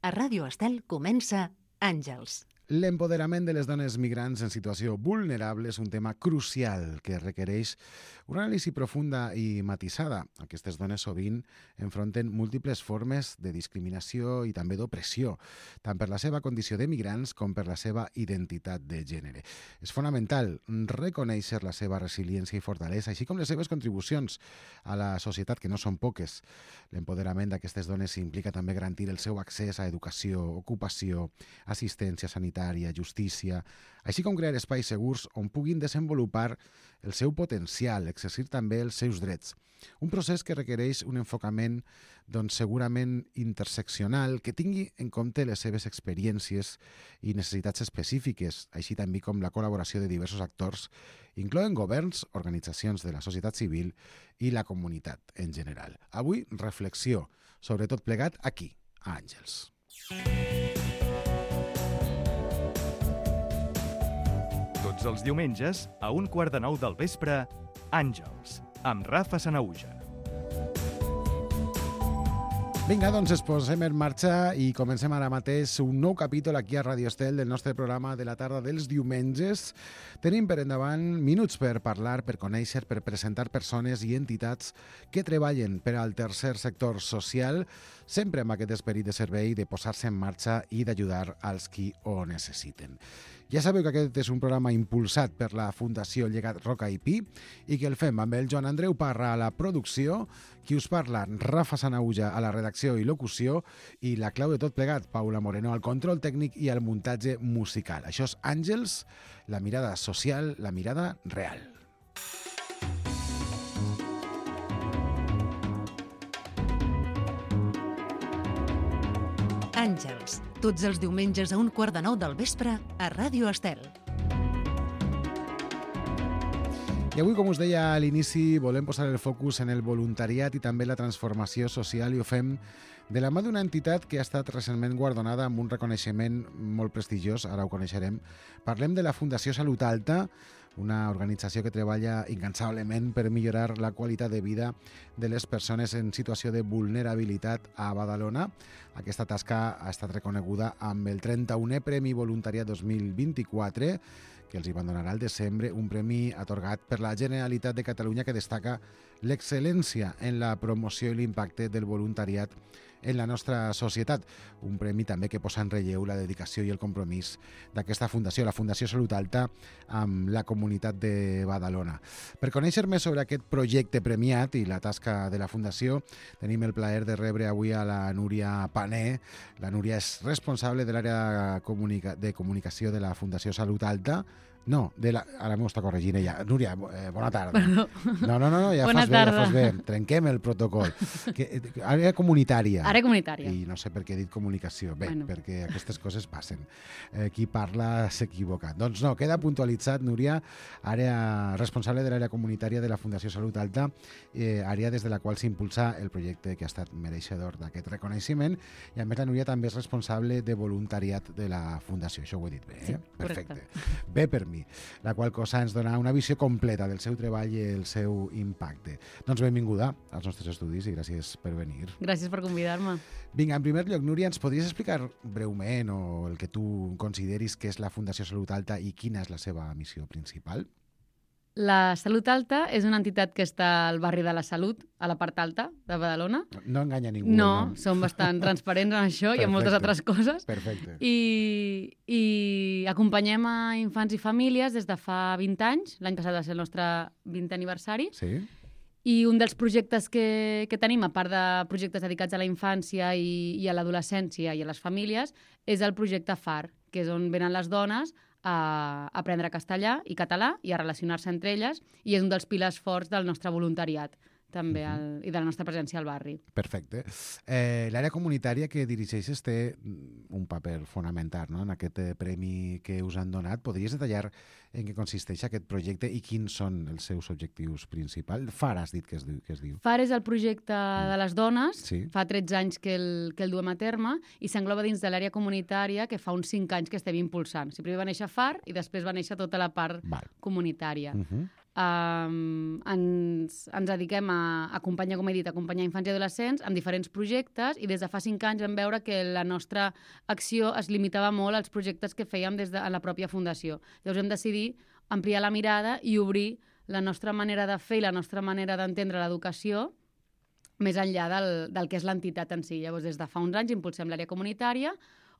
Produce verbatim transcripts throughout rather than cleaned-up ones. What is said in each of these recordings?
A Ràdio Estel comença Àngels. L'empoderament de les dones migrants en situació vulnerable és un tema crucial que requereix una anàlisi profunda i matisada. Aquestes dones sovint enfronten múltiples formes de discriminació i també d'opressió, tant per la seva condició de migrants com per la seva identitat de gènere. És fonamental reconèixer la seva resiliència i fortalesa, així com les seves contribucions a la societat, que no són poques. L'empoderament d'aquestes dones implica també garantir el seu accés a educació, ocupació, assistència sanitària, justícia, així com crear espais segurs on puguin desenvolupar el seu potencial, exercir també els seus drets. Un procés que requereix un enfocament doncs, segurament interseccional que tingui en compte les seves experiències i necessitats específiques, així també com la col·laboració de diversos actors, incloent governs, organitzacions de la societat civil i la comunitat en general. Avui, reflexió sobre tot plegat aquí, a Àngels. Tots els diumenges, a un quart de nou del vespre, Àngels, amb Rafa Sanahuja. Vinga, doncs es posem en marxa i comencem ara mateix un nou capítol aquí a Ràdio Estel del nostre programa de la tarda dels diumenges. Tenim per endavant minuts per parlar, per conèixer, per presentar persones i entitats que treballen per al tercer sector social, sempre amb aquest esperit de servei, de posar-se en marxa i d'ajudar als qui ho necessiten. Ja sabeu que aquest és un programa impulsat per la Fundació Llegat Roca i Pi i que el fem amb el Joan Andreu Parra a la producció, qui us parla, Rafa Sanahuja a la redacció i locució i la clau de tot plegat, Paula Moreno, al control tècnic i al muntatge musical. Això és Àngels, la mirada social, la mirada real. Àngels, tots els diumenges a un quart de nou del vespre a Ràdio Estel. I avui, com us deia a l'inici, volem posar el focus en el voluntariat i també la transformació social i ho fem de la mà d'una entitat que ha estat recentment guardonada amb un reconeixement molt prestigiós, ara ho coneixerem. Parlem de la Fundació Salut Alta, una organització que treballa incansablement per millorar la qualitat de vida de les persones en situació de vulnerabilitat a Badalona. Aquesta tasca ha estat reconeguda amb el trenta-unè Premi Voluntariat dos mil vint-i-quatre, que els hi van donar al desembre, un premi atorgat per la Generalitat de Catalunya que destaca l'excel·lència en la promoció i l'impacte del voluntariat en la nostra societat. Un premi també que posa en relleu la dedicació i el compromís d'aquesta fundació, la Fundació Salut Alta, amb la comunitat de Badalona. Per conèixer més sobre aquest projecte premiat i la tasca de la fundació, tenim el plaer de rebre avui a la Núria Pané. La Núria és responsable de l'àrea comunica- de comunicació de la Fundació Salut Alta. No, de la... ara m'ho està corregint ella. Núria, eh, bona tarda. Perdó. No, no, no, no ja Bona fas bé, tarda. ja fas bé. Trenquem el protocol. Que, eh, àrea comunitària. Àrea comunitària. I no sé per què he dit comunicació. Bé, Bueno. perquè aquestes coses passen. Eh, qui parla s'equivoca. Doncs no, queda puntualitzat, Núria, àrea responsable de l'àrea comunitària de la Fundació Salut Alta, eh, àrea des de la qual s'impulsa el projecte que ha estat mereixedor d'aquest reconeixement. I a més la Núria també és responsable de voluntariat de la Fundació. Això ho he dit bé, eh? Sí, Perfecte. correcte. Bé per mi. La qual cosa ens dona una visió completa del seu treball i el seu impacte. Doncs benvinguda als nostres estudis i gràcies per venir. Gràcies per convidar-me. Vinga, en primer lloc, Núria, ens podries explicar breument o el que tu consideris que és la Fundació Salut Alta i quina és la seva missió principal? La Salut Alta és una entitat que està al barri de la Salut, a la part alta de Badalona. No enganya ningú. No, no? som bastant transparents en això i en moltes Perfecte. altres coses. Perfecte. I, I acompanyem a infants i famílies des de fa vint anys. L'any passat va ser el nostre vintè aniversari. Sí? I un dels projectes que, que tenim, a part de projectes dedicats a la infància i, i a l'adolescència i a les famílies, és el projecte F A R, que és on venen les dones a aprendre castellà i català i a relacionar-se entre elles, i és un dels pilars forts del nostre voluntariat també al, i de la nostra presència al barri. Perfecte. Eh, L'àrea comunitària que dirigeixes té un paper fonamental, no?, en aquest eh, premi que us han donat. Podries detallar en què consisteix aquest projecte i quins són els seus objectius principals? F A R has dit que es diu. Que es diu. F A R és el projecte de les dones, Sí. fa tretze anys que el, que el duem a terme i s'engloba dins de l'àrea comunitària que fa uns cinc anys que estem impulsant. O sigui, primer va néixer F A R i després va néixer tota la part Val. comunitària. Uh -huh. Um, ens, ens dediquem a acompanyar, com he dit, a acompanyar infants i adolescents amb diferents projectes, i des de fa cinc anys vam veure que la nostra acció es limitava molt als projectes que fèiem des de la pròpia fundació. Llavors vam decidir ampliar la mirada i obrir la nostra manera de fer i la nostra manera d'entendre l'educació més enllà del, del que és l'entitat en si. Llavors, des de fa uns anys impulsem l'àrea comunitària,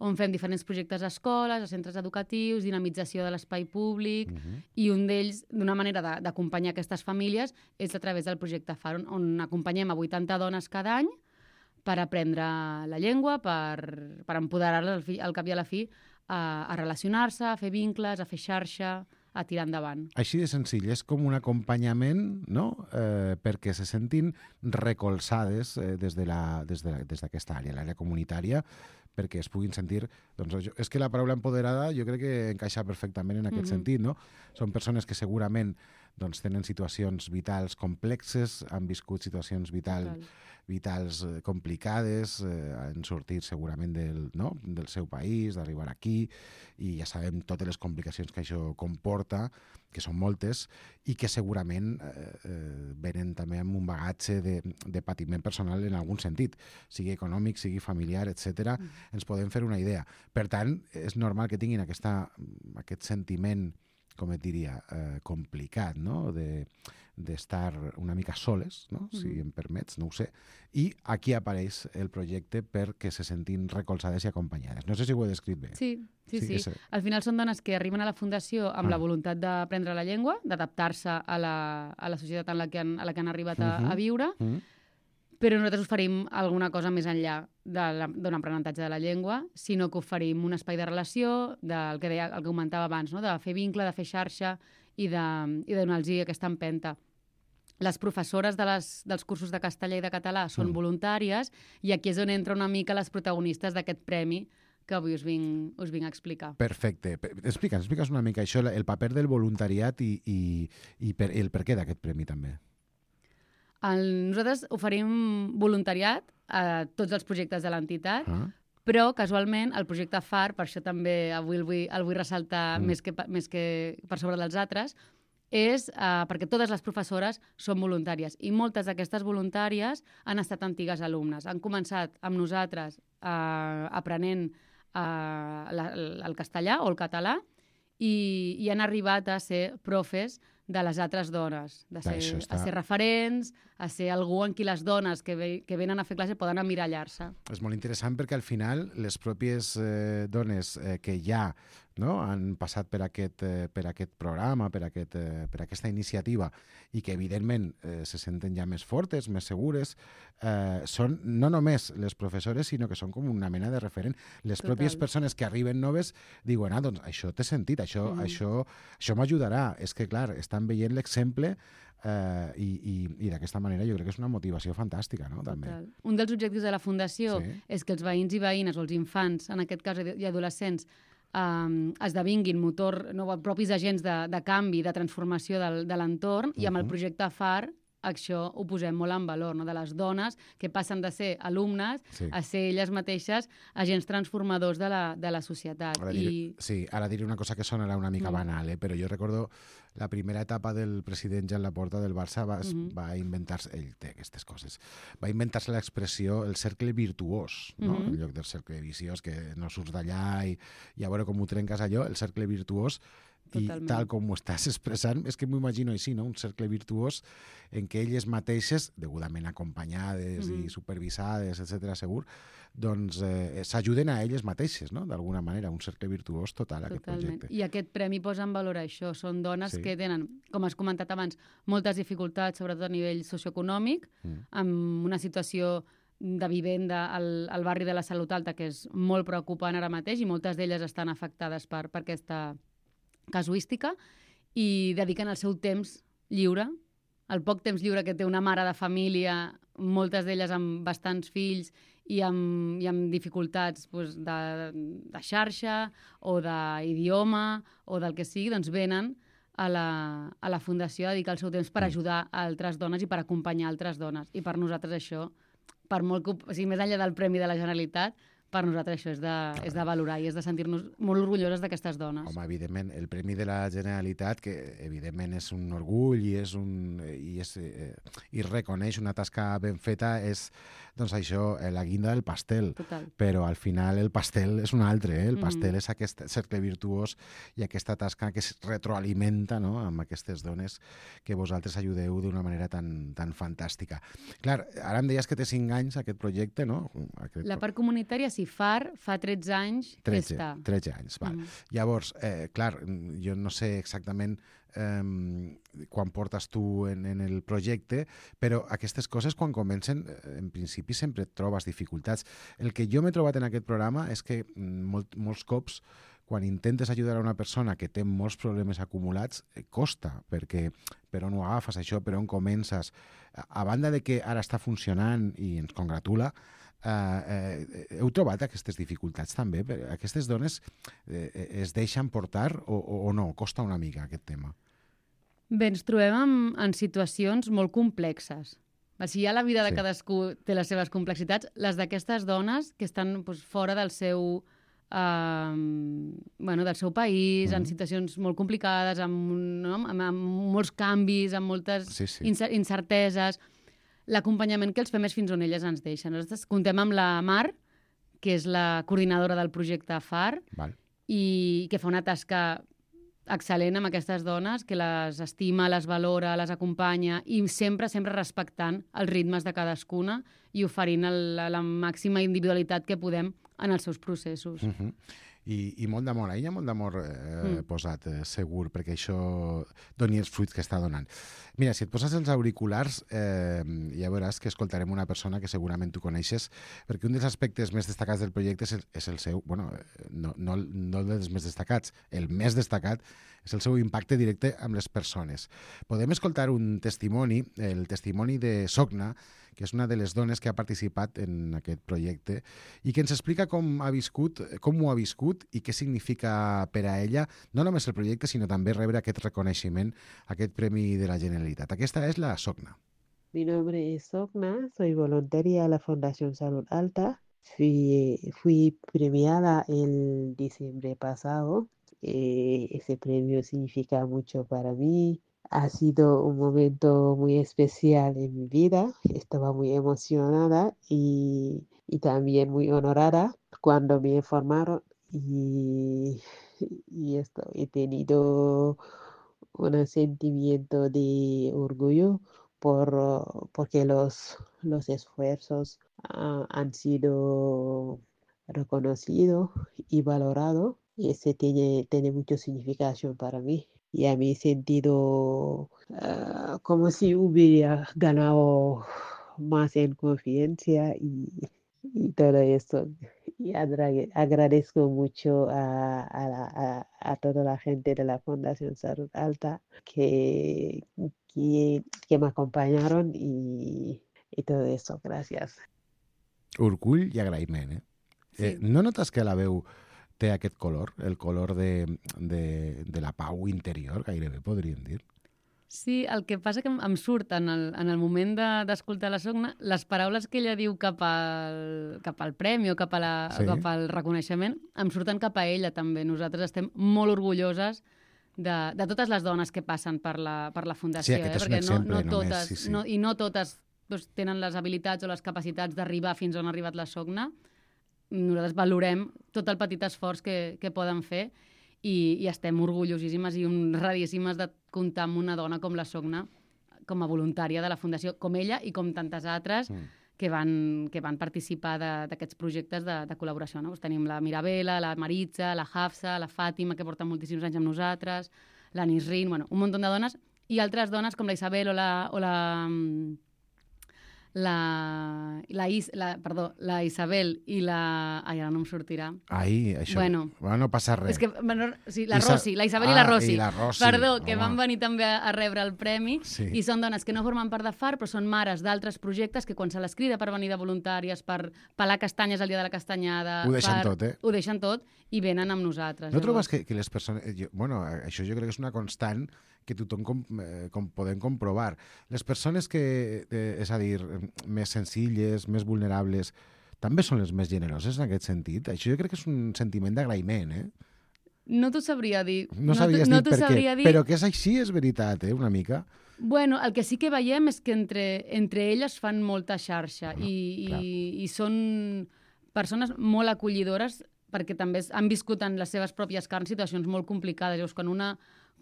on fem diferents projectes a escoles, a centres educatius, dinamització de l'espai públic, uh-huh. i un d'ells, d'una manera d'acompanyar aquestes famílies, és a través del projecte F A R, on, on acompanyem a vuitanta dones cada any per aprendre la llengua, per, per empoderar-les al, fi, al cap i a la fi a, a relacionar-se, a fer vincles, a fer xarxa, a tirar endavant. Així de senzill, és com un acompanyament, no?, eh, perquè se sentin recolzades eh, des de la, des de la, des d'aquesta àrea, l'àrea comunitària, perquè es puguin sentir... Doncs, és que la paraula empoderada jo crec que encaixa perfectament en aquest mm-hmm. sentit, no? Són persones que segurament doncs, tenen situacions vitals complexes, han viscut situacions vital, vitals complicades, eh, han sortit segurament del, no? del seu país, d'arribar aquí, i ja sabem totes les complicacions que això comporta, que són moltes, i que segurament eh, eh, venen també amb un bagatge de, de patiment personal en algun sentit, sigui econòmic, sigui familiar, etcètera. Mm. Ens podem fer una idea. Per tant, és normal que tinguin aquesta, aquest sentiment, com et diria, eh, complicat, no?, de d'estar una mica soles, no? Mm. Si em permets, no ho sé. I aquí apareix el projecte perquè se sentin recolzades i acompanyades. No sé si ho he descrit bé. Sí, sí, sí. sí. Al final són dones que arriben a la Fundació amb ah. la voluntat d'aprendre la llengua, d'adaptar-se a, la, a la societat en la que han, a la que han arribat a, uh-huh. a viure, uh-huh. però nosaltres oferim alguna cosa més enllà d'un aprenentatge de la llengua, sinó que oferim un espai de relació, del que deia, el que comentava abans, no? De fer vincle, de fer xarxa, i de, i de donar-los aquesta empenta. Les professores de les, dels cursos de castellà i de català són mm. voluntàries, i aquí és on entra una mica les protagonistes d'aquest premi que avui us vinc, us vinc a explicar. Perfecte. Explica'ns, explica'ns una mica això, el paper del voluntariat i, i, i per, el per què d'aquest premi també. El, nosaltres oferim voluntariat a tots els projectes de l'entitat, ah. però casualment el projecte F A R, per això també avui el vull, el vull ressaltar mm. més, que, més que per sobre dels altres, és uh, perquè totes les professores són voluntàries, i moltes d'aquestes voluntàries han estat antigues alumnes. Han començat amb nosaltres uh, aprenent uh, la, el castellà o el català, i, i han arribat a ser profes de les altres dones, de ser, està... a ser referents, a ser algú en qui les dones que, ve, que venen a fer classe poden emmirallar-se. És molt interessant perquè al final les pròpies eh, dones eh, que ja no, han passat per aquest, eh, per aquest programa, per, aquest, eh, per aquesta iniciativa, i que evidentment eh, se senten ja més fortes, més segures, eh, són no només les professores, sinó que són com una mena de referent. Les Total. Pròpies persones que arriben noves diuen, ah, doncs això té sentit, això, mm. això, això m'ajudarà. És que, clar, estan veient l'exemple eh, i, i, i d'aquesta manera jo crec que és una motivació fantàstica, no? També. Un dels objectius de la Fundació sí. és que els veïns i veïnes, o els infants, en aquest cas, i adolescents, Um, esdevinguin motor, no, propis agents de, de canvi, de transformació del, de l'entorn, uh-huh. i amb el projecte F A R això ho posem molt en valor, no? De les dones que passen de ser alumnes sí. a ser elles mateixes agents transformadors de la, de la societat. Ara dir, I... Sí, ara diré una cosa que sonarà una mica no. banal, eh? Però jo recordo la primera etapa del president Joan Laporta del Barça va, uh-huh. va inventar-se, ell té aquestes coses, va inventar-se l'expressió el cercle virtuós, no? Uh-huh. En lloc del cercle viciós, que no surts d'allà i, i a veure com ho trenques allò, el cercle virtuós. Totalment. I tal com ho estàs expressant, és que m'ho imagino així, no? Un cercle virtuós en què elles mateixes, degudament acompanyades mm-hmm. i supervisades, etcètera, segur, doncs eh, s'ajuden a elles mateixes, no? D'alguna manera, un cercle virtuós total, Totalment. Aquest projecte. I aquest premi posa en valor això. Són dones sí. que tenen, com has comentat abans, moltes dificultats, sobretot a nivell socioeconòmic, mm. amb una situació de vivenda al, al barri de la Salut Alta, que és molt preocupant ara mateix, i moltes d'elles estan afectades per, per aquesta casuística, i dediquen el seu temps lliure, el poc temps lliure que té una mare de família, moltes d'elles amb bastants fills i amb, i amb dificultats doncs, de, de xarxa o d'idioma o del que sigui, doncs venen a la, a la Fundació a dedicar el seu temps per ajudar a altres dones i per acompanyar altres dones. I per nosaltres això, per molt que, o sigui, més enllà del Premi de la Generalitat, per nosaltres això és de, és de valorar i és de sentir-nos molt orgulloses d'aquestes dones. Home, evidentment, el Premi de la Generalitat, que evidentment és un orgull i, és un, i, és, eh, i reconeix una tasca ben feta, és doncs això, la guinda del pastel. Total. Però al final el pastel és un altre, eh? El pastel Mm-hmm. és aquest cercle virtuós i aquesta tasca que es retroalimenta, no?, amb aquestes dones que vosaltres ajudeu d'una manera tan, tan fantàstica. Clar, ara em deies que té cinc anys aquest projecte, no? Aquest... La part comunitària, sí, F A R fa tretze anys que tretze, està. tretze anys, val. Mhm. Llavors, eh, clar, jo no sé exactament eh, quan portes tu en, en el projecte, però aquestes coses quan comencen, eh, en principi sempre et trobes dificultats. El que jo m'he trobat en aquest programa és que mm, molt, molts cops quan intentes ajudar a una persona que té molts problemes acumulats, eh, costa, perquè per on ho agafes això, per on comences. A, a banda de que ara està funcionant i ens congratula, eh, eh, heu trobat aquestes dificultats també? Aquestes dones eh, es deixen portar o, o, o no? Costa una mica aquest tema? Bé, ens trobem en, en situacions molt complexes. O sigui, ja la vida de Sí. cadascú té les seves complexitats. Les d'aquestes dones que estan doncs, fora del seu, eh, bueno, del seu país, Mhm. en situacions molt complicades, amb, no? amb, amb molts canvis, amb moltes Sí, sí. incer- incerteses. L'acompanyament que els fem és fins on elles ens deixen. Nosaltres contem amb la Mar, que és la coordinadora del projecte F A R, Val. i que fa una tasca excel·lent amb aquestes dones, que les estima, les valora, les acompanya i sempre, sempre respectant els ritmes de cadascuna i oferint el, la, la màxima individualitat que podem en els seus processos. Uh -huh. I, I molt d'amor a ella, molt d'amor eh, Mm. posat, eh, segur, perquè això doni els fruits que està donant. Mira, si et poses els auriculars, eh, ja veuràs que escoltarem una persona que segurament tu coneixes, perquè un dels aspectes més destacats del projecte és el, és el seu, bueno, no, no, no dels més destacats, el més destacat és el seu impacte directe amb les persones. Podem escoltar un testimoni, el testimoni de Sogna, que és una de les dones que ha participat en aquest projecte i que ens explica com ha viscut, com ho ha viscut i què significa per a ella, no només el projecte, sinó també rebre aquest reconeixement, aquest Premi de la Generalitat. Aquesta és la Sogna. Mi nombre es Sogna, soy voluntaria a la Fundación Salud Alta. Fui, fui premiada el diciembre pasado. Eh, ese premio significa mucho para mí. Ha sido un momento muy especial en mi vida. Estaba muy emocionada y, y también muy honorada cuando me informaron. Y, y esto, he tenido un sentimiento de orgullo por, porque los, los esfuerzos uh, han sido reconocidos y valorados. Y ese tiene, tiene mucha significación para mí. Y a mi sentido uh, como si hubiera ganado más en confianza y, y todo eso. Y agra- agradezco mucho a, a, la- a, a toda la gente de la Fundación Salud Alta que, que, que me acompañaron y, y todo eso. Gracias. Orgull i agraïment, eh? Sí. eh? No notes que la veu té aquest color, el color de, de, de la pau interior, gairebé podríem dir? Sí, el que passa que em, em surt en el, en el moment de- d'escoltar la Sogna, les paraules que ella diu cap al, cap al premi o cap, a la, Sí. cap al reconeixement em surten cap a ella també. Nosaltres estem molt orgulloses de, de totes les dones que passen per la, per la Fundació. Sí, aquest eh? és un Perquè exemple no, no només, totes, sí, sí. No, i no totes doncs, tenen les habilitats o les capacitats d'arribar fins on ha arribat la Sogna. Nosaltres valorem tot el petit esforç que, que poden fer i, i estem orgullosíssimes i honradíssimes de comptar amb una dona com la Sogna com a voluntària de la Fundació, com ella i com tantes altres Mm. que, van, que van participar de- d'aquests projectes de, de col·laboració. No? Pues tenim la Mirabela, la Maritza, la Hafsa, la Fàtima, que porten moltíssims anys amb nosaltres, la Nisrin, bueno, un munt de dones, i altres dones com la Isabel o la... O la mm, la, la, Is, la, perdó, la Isabel i la... Ai, ara no em sortirà. Ai, això... Bueno. bueno no passa res. És que, bueno, sí, la Isa- Rosi, la Isabel i la Ah, Rosi. i la Rosi, Perdó, que home. van venir també a, a rebre el premi Sí. i són dones que no formen part de F A R però són mares d'altres projectes que quan se les crida per venir de voluntàries, per pelar castanyes el dia de la castanyada... Ho deixen per... tot, eh? Ho deixen tot i venen amb nosaltres. No trobes que, que les persones... Jo, bueno, això jo crec que és una constant que tothom com, eh, com podem comprovar. Les persones que, eh, és a dir, més senzilles, més vulnerables, també són les més generoses en aquest sentit. Això jo crec que és un sentiment d'agraïment, eh? No t'ho sabria dir. No sabies no dir per què, dir... però que és així, és veritat, eh? Una mica. Bueno, el que sí que veiem és que entre, entre elles fan molta xarxa No, i, clar. i, i són persones molt acollidores perquè també han viscut en les seves pròpies carns situacions molt complicades. Llavors, quan una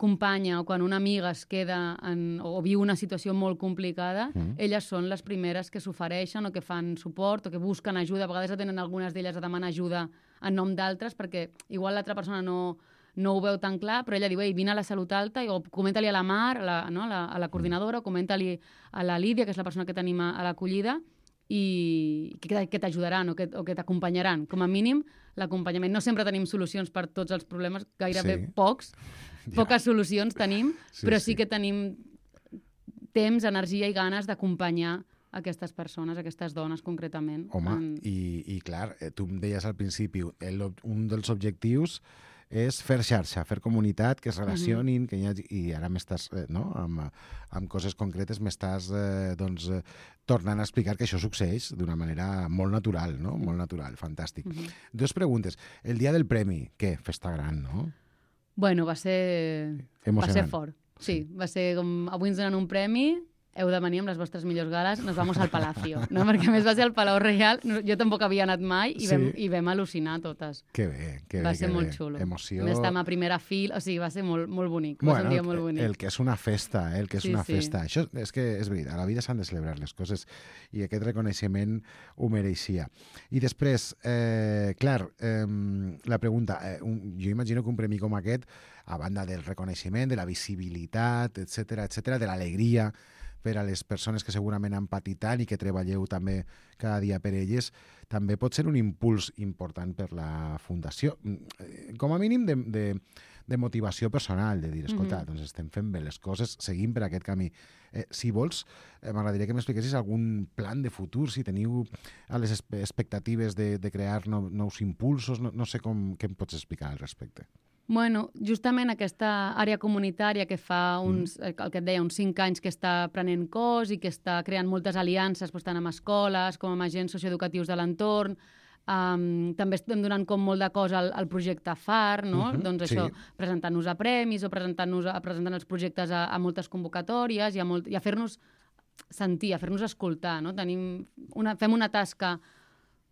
companya o quan una amiga es queda en, o viu una situació molt complicada, mm. elles són les primeres que s'ofereixen o que fan suport o que busquen ajuda. A vegades tenen algunes d'elles a demanar ajuda en nom d'altres perquè igual l'altra persona no, no ho veu tan clar, però ella diu, ei, vine a la Salut Alta o comenta-li a la Mar, a la, no, a la, a la coordinadora, o comenta-li a la Lídia, que és la persona que tenim a, a l'acollida, i que, que t'ajudaran o que, o que t'acompanyaran. Com a mínim, l'acompanyament. No sempre tenim solucions per tots els problemes, gairebé Sí. pocs, Ja. poques solucions tenim, Sí, però sí. sí que tenim temps, energia i ganes d'acompanyar aquestes persones, aquestes dones concretament. Home, en... i, i clar, eh, tu em deies al principi, el, un dels objectius és fer xarxa, fer comunitat, que es relacionin, que hi hagi, i ara m'estàs, eh, no?, amb, amb coses concretes m'estàs eh, doncs, eh, tornant a explicar que això succeeix d'una manera molt natural, no?, molt natural, fantàstic. Uh -huh. Dues preguntes. El dia del premi, què? Festa gran, no? Bueno, va ser... Emocionant. Va ser fort. Sí, va ser com... Avui ens donen un premi, heu de venir amb les vostres millors gales, nos vamos al Palacio, no? Perquè a més va ser al Palau Reial, jo tampoc havia anat mai i vam, Sí. i vam al·lucinar totes. Que bé, que Va bé, ser que molt bé. xulo. Emoció... Estem a primera fila, o sigui, va ser molt, molt bonic, va ser un dia molt bonic. El que és una festa, eh? el que és Sí, una sí. festa. Això és que és veritat, a la vida s'han de celebrar les coses i aquest reconeixement ho mereixia. I després, eh, clar, eh, la pregunta, eh, un, jo imagino que un premi com aquest, a banda del reconeixement, de la visibilitat, etcètera, etcètera, de l'alegria per a les persones que segurament han patit tant i que treballeu també cada dia per elles, també pot ser un impuls important per la Fundació. Mm, Com a mínim de, de, de motivació personal, de dir, escolta, Mhm. doncs estem fent bé les coses, seguim per aquest camí. Eh, si vols, eh, m'agradaria que m'expliquessis algun plan de futur, si teniu a les espe- expectatives de, de crear no, nous impulsos, no, no sé com, què em pots explicar al respecte. Bueno, justament aquesta àrea comunitària que fa uns, mm. el que et deia, uns cinc anys que està prenent cos i que està creant moltes aliances doncs, tant amb escoles com amb agents socioeducatius de l'entorn. Um, també estem donant com molt de cos al, al projecte F A R, no? Mhm, Doncs sí. això, presentant-nos a premis o presentant-nos a, presentant els projectes a, a moltes convocatòries i a, molt, i a fer-nos sentir, a fer-nos escoltar, no? Tenim una, fem una tasca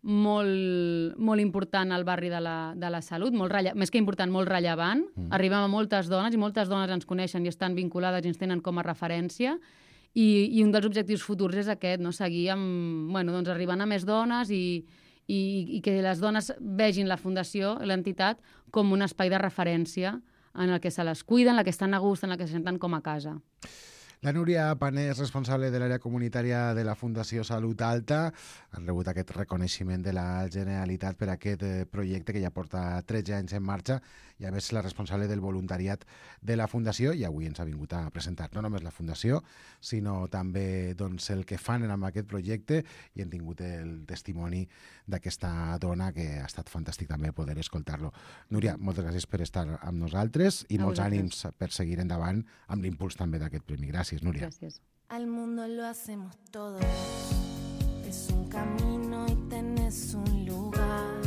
molt, molt important al barri de la, de la salut, molt relle... més que important, molt rellevant. Mm. Arribem a moltes dones i moltes dones ens coneixen i estan vinculades i ens tenen com a referència. I, i un dels objectius futurs és aquest, no? Seguir amb, bueno, doncs arribant a més dones i, i, i que les dones vegin la Fundació, l'entitat, com un espai de referència en el que se les cuiden, en el que estan a gust, en el que se senten com a casa. La Núria Pané és responsable de l'àrea comunitària de la Fundació Salut Alta. Han rebut aquest reconeixement de la Generalitat per aquest eh, projecte que ja porta tretze anys en marxa i a més la responsable del voluntariat de la Fundació i avui ens ha vingut a presentar no només la Fundació, sinó també doncs, el que fan amb aquest projecte i hem tingut el testimoni d'aquesta dona que ha estat fantàstic també poder escoltar-lo. Núria, moltes gràcies per estar amb nosaltres i A molts vosaltres. ànims per seguir endavant amb l'impuls també d'aquest premi. Gràcies, Núria. Gràcies. Al mundo lo hacemos todos, es un camino y tenés un lugar.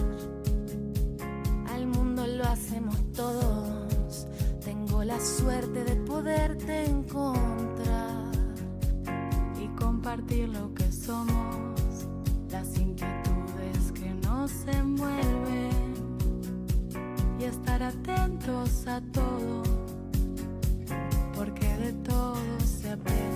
Al mundo lo hacemos todos, tengo la suerte de poderte encontrar y compartir lo que somos, las inquietudes que nos envuelven y estar atentos a todo, porque de todo se aprende.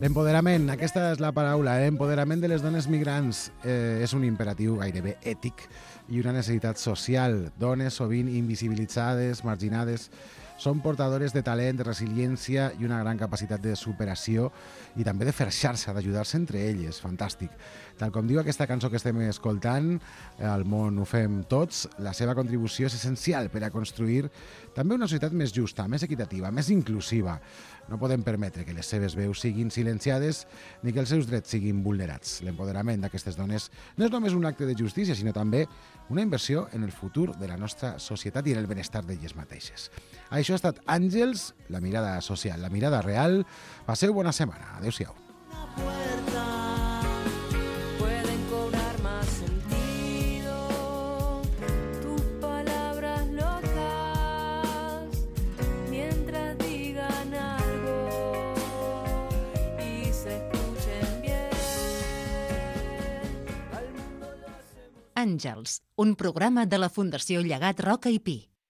L'empoderament, aquesta és la paraula, eh? Empoderament de les dones migrants eh, és un imperatiu gairebé ètic i una necessitat social. Dones sovint invisibilitzades, marginades, són portadores de talent, de resiliència i una gran capacitat de superació i també de fer xarxa, d'ajudar-se entre elles. Fantàstic. Tal com diu aquesta cançó que estem escoltant, al món ho fem tots, la seva contribució és essencial per a construir també una societat més justa, més equitativa, més inclusiva. No podem permetre que les seves veus siguin silenciades ni que els seus drets siguin vulnerats. L'empoderament d'aquestes dones no és només un acte de justícia, sinó també una inversió en el futur de la nostra societat i en el benestar d'elles mateixes. Això ha estat Àngels, la mirada social, la mirada real. Passeu bona setmana. Adéu-siau. Puerta, pueden cobrar más Àngels, un programa de la Fundació Llegat Roca i Pi.